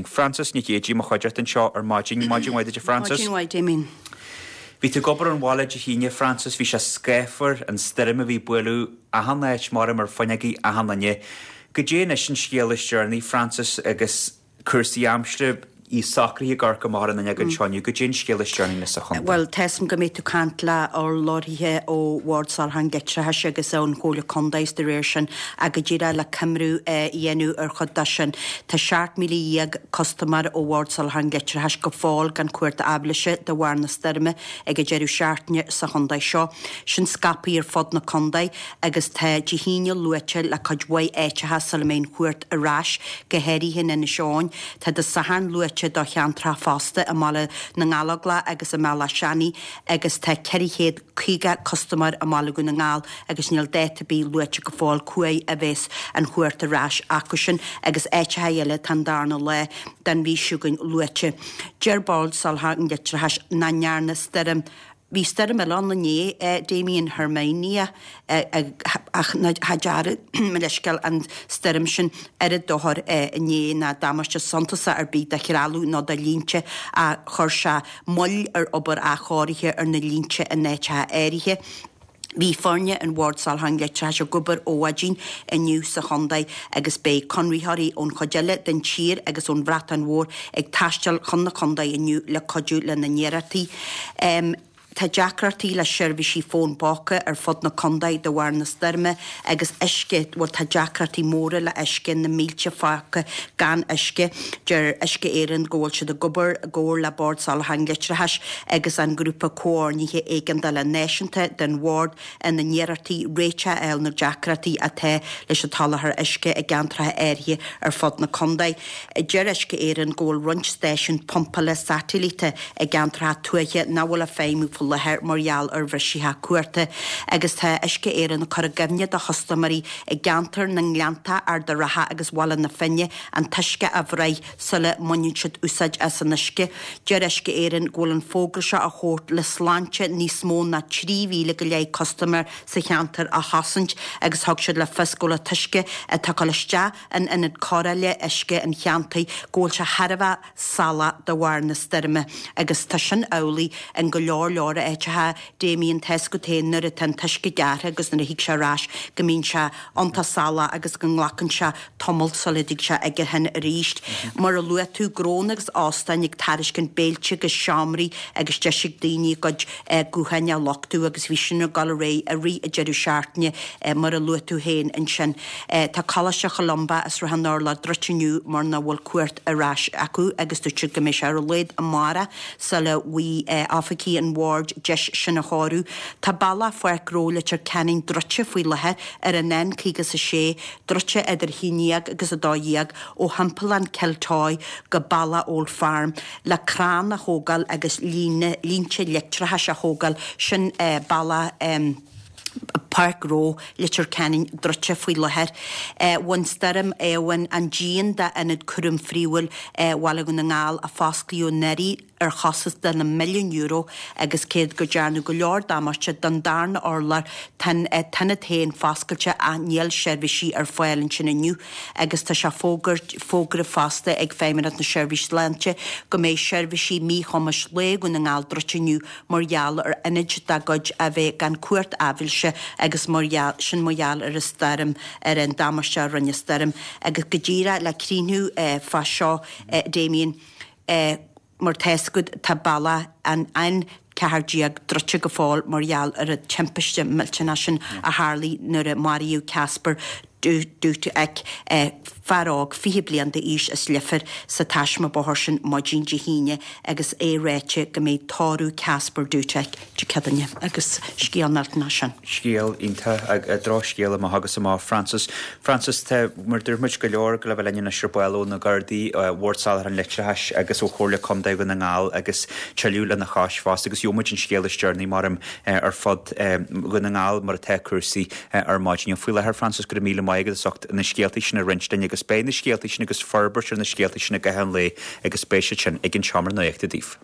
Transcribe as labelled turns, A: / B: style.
A: Frances Nic Géadaigh i mo chuideachta anseo ar maidin. Maidin mhaith duit a Frances.
B: Maidin mhaith Damien.
A: Bhí tú ag obair ón bhaile Dé hAoine Frances, bhí sé scáfar, an stoirm a bhí ag bualadh achan áit, maram ar fuinneogaí achan duine. Goidé anois an scéal is deireanaí Frances agus cúrsaí aimsire, iad socraithe ag amharc amach ar an fhuinneog anseo inniu, goidé an scéal is deireanaí anois sa chontae.
B: Bhuel, tá 'fhios a'm go mbeidh tú ag caint le urlabhraithe ó Bhord Soláthair an Leictreachais agus ón Chomhairle Contae is de réir sin ach go díreach le coimriú a dhéanamh ar chuid de sin. Tá 17,000 custaiméir ó Bhord Soláthair an Leictreachais go fóill gan cumhacht aibhléise de bharr na stoirme ag an deireadh seachtaine sa chontae seo. Sin scaipthe ar fud na contae agus tá Dé hAoine luaite le cuid mhaith áiteacha sula mbeidh an chumhacht ar ais, go háirithe in Inis Eoghain. Tá Dé Sathairn luaite do cheantracha fosta i mBaile na nGallóglach agus i mBealach Seanaidh agus tá 450 custaiméir i mBaile Dhún na nGall agus níl dáta ar bith luaite go fóill cá huair a bheas an chumhacht ar ais acusan agus áiteacha eile tá an darna lá den mhí seo chugainn luaite. Deir Bord Soláthair an Leictreachais nach ndearna stoirm Bhí stoirm eile ann inné, Damien Herminia, ach cha dearna, mo leithscéal, an stoirm sin oiread dochair inné ná damáiste suntasach ar bith do threalamh nó do línte ach chuir sé moill ar obair athchóirithe ar na línte in áiteacha áirithe. Bhí foirne an Bhoird Soláthair an Leictreachais ag obair ó mhaidin inniu sa chontae agus beidh conraitheoirí ón chuid eile den tír agus ón Bhreatain Mhór ag taisteal chun na contae inniu le cuidiú lena n-iarrachtaí. Tá deacrachtaí le seirbhísí fón póca ar fud na contae de bharr na stoirme agus uisce, bhuel tá deacrachtaí móra le uisce, na mílte fágtha gan uisce. Deir Uisce Éireann go bhfuil siad ag obair i gcomhar le Bord Soláthair an Leictreachais agus an Grúpa Comhordnaithe Éigeandála Náisiúnta den Bhord ina n-iarrachtaí réiteach a fháil ar na deacrachtaí atá leis an tsoláthar uisce i gceantracha áirithe ar fud na contae. Deir Uisce Éireann go bhfuil roinnt stáisiún pumpála satailíte i gceantracha tuaithe nach bhfuil ag feidhmiú faoi láthair mar gheall ar bhriseacha cumhachta agus tá Uisce Éireann ag cur i gcuimhne do chustaiméirí i gceantar na nGleannta, Ard an Rátha agus Bhaile na Finne an t-uisce a bhruith sula mbaineann siad úsáid as an uisce. Deir Uisce Éireann go bhfuil an fógra seo á thabhairt le sláinte níos mó ná 3,000 go leith custaiméir sa cheantar a chosaint agus thug siad le fios go bhfuil an t-uisce atá ag dul isteach in ionad cóireála uisce an cheantair go bhfuil sé thar a bheith salach de bharr na stoirme agus tá sin amhlaidh in go leor leor áiteacha Damien tá 'fhios agat féin nuair atá an t-uisce gearrtha agus nuair a thig sé ar ais go mbíonn sé iontach salach agus go nglacann sé tamall sula dtig sé ag an thine arís. Mar a luaigh tú, gnónna agus óstáin ag tairiscint béilte agus seomraí agus deis ag daoine a gcuid gutháin a luchtú agus bhí sin ag dul ar aghaidh i rith an deireadh seachtaine mar a luaigh tú féin ansin. Tá Coláiste Cholumba i Srath an Urláir druidte inniu mar nach bhfuil cumhacht ar ais acu agus dúirt siad go mbeidh sé ar a laghad amárach sula bhfaighidh oifigigh an bhoird deis sin a chóiriú. Tá bealach Pháirc Ghnó Leitir Ceanainn druidte faoi láthair ar an N56 druidte idir 11 agus 12 ó thimpeallán Chill Toy go Ballagh Old Farm le crann a thógáil agus línte leictreachais a thógáil, sin bealach Páirc Ghnó Leitir Ceanainn druidte faoi láthair. Bhain Stoirm Éowyn an díon d'Ionad Cúraim Phríomhúil Bhaile Dhún na nGall a fosclaíodh anuraidh. ar chostas de na milliúin euro agus cé go dearnadh go leor damáiste don darna urlár tá an t-ionad féin foscailte ach níl seirbhísí ar fáil ansin inniu agus tá sé fógartha fosta ag Feidhmeannacht na Seirbhíse Sláinte go mbeidh seirbhísí míchumais lae Dhún na nGall druidte inniu mar gheall ar ionaid dá gcuid a bheith gan cumhacht aibhléise agus mar gheall sin mar gheall ar an stoirm ar an damáiste a rinne stoirm agus go díreach le críochnú fá seo Damien. Mar tá 'fhios agat tá bealach an N14 druidte go fóill mar gheall ar an timpiste millteanach sin a tharlaigh nuair a maraíodh Kacper Dutek, fear óg 20 bliain d'aois as Leifear, sa taisme bóthair sin maidin Dé hAoine agus é ráite go mbeidh tórramh Kacper Dutek Dé Céadaoine agus scéal millteanach sin.
A: Scéal iontach, drochscéal amach agus amach. Frances, Frances, tá, mar a dúirt muid, go leor le bheith linn anois ar ball ó na Gardaí, Bhord Soláthair an Leictreachais agus ó Chomhairle Contae Dhún na nGall agus tuilleadh lena chois fosta agus gheobhaidh muid an scéal is deireanaí maram ar fud Dhún na nGall mar atá cúrsaí ar maidin. Faoi láthair, Frances, go raibh míle maith agat as ucht na scéaltaí sin a roinnt linn agus beidh na scéaltaí sin agus forbairt ar na scéaltaí sin i gcaitheamh an lae agus beidh siad sin ag an Seomra Nuachta daoibh.